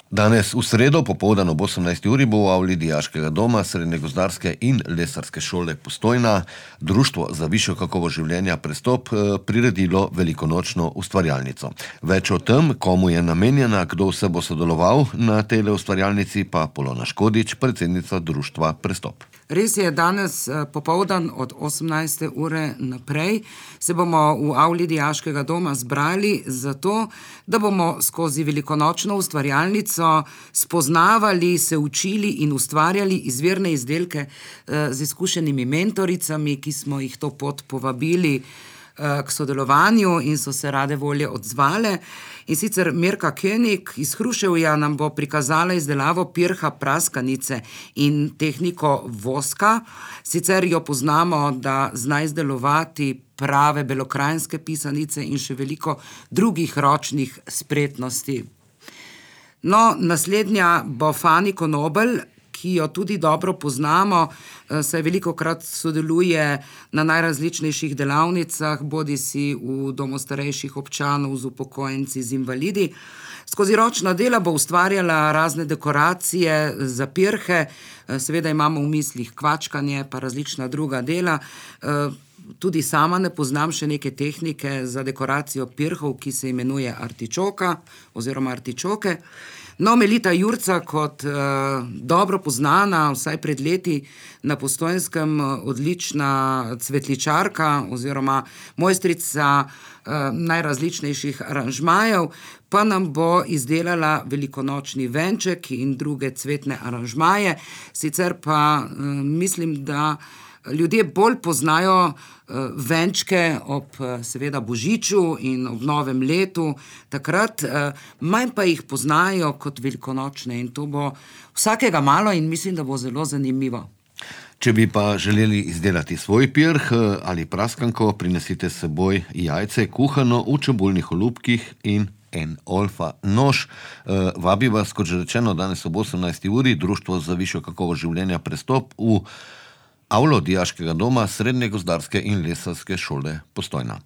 Danes v sredo popoldan ob 18. uri bo v avli Dijaškega doma Srednje gozdarske in lesarske šole Postojna Društvo za višjo kakovost življenja Prestop priredilo velikonočno ustvarjalnico. Več o tem, komu je namenjena, kdo vse bo sodeloval na tej ustvarjalnici, pa Polona Škodič, predsednica Društva Prestop. Res je, danes popoldan od 18. ure naprej se bomo v avli Dijaškega doma zbrali zato, da bomo skozi velikonočno ustvarjalnico spoznavali, se učili in ustvarjali izvirne izdelke z izkušenimi mentoricami, ki smo jih to pot povabili k sodelovanju in so se rade volje odzvale. In sicer Mirka König iz Hruševja nam bo prikazala izdelavo pirha praskanice in tehniko voska. Sicer jo poznamo, da zna izdelovati prave belokranjske pisanice in še veliko drugih ročnih spretnosti. No, naslednja bo Fani Konobel, ki jo tudi dobro poznamo, saj velikokrat sodeluje na najrazličnejših delavnicah, bodisi v domu starejših občanov, z upokojenci, z invalidi. Skozi ročna dela bo ustvarjala razne dekoracije za pirhe, seveda imamo v mislih kvačkanje, pa različna druga dela. Tudi sama ne poznam še neke tehnike za dekoracijo pirhov, ki se imenuje artičoka oziroma artičoke. No, Melita Jurca kot dobro poznana, vsaj pred leti na Postojnskem, odlična cvetličarka oziroma mojstrica najrazličnejših aranžmajev, pa nam bo izdelala velikonočni venček in druge cvetne aranžmaje. Sicer pa mislim, da ljudje bolj poznajo venčke ob seveda Božiču in ob novem letu, takrat manj pa jih poznajo kot velikonočne in to bo vsakega malo in mislim, da bo zelo zanimivo. Če bi pa želeli izdelati svoj pirh ali praskanko, prinesite s seboj jajce kuhano v čebulnih olupkih in en olfa nož. Vabi vas, kot že rečeno, danes ob 18. uri Društvo za višjo kakovost življenja Prestop v avlo Dijaškega doma Srednje gozdarske in lesarske šole Postojna.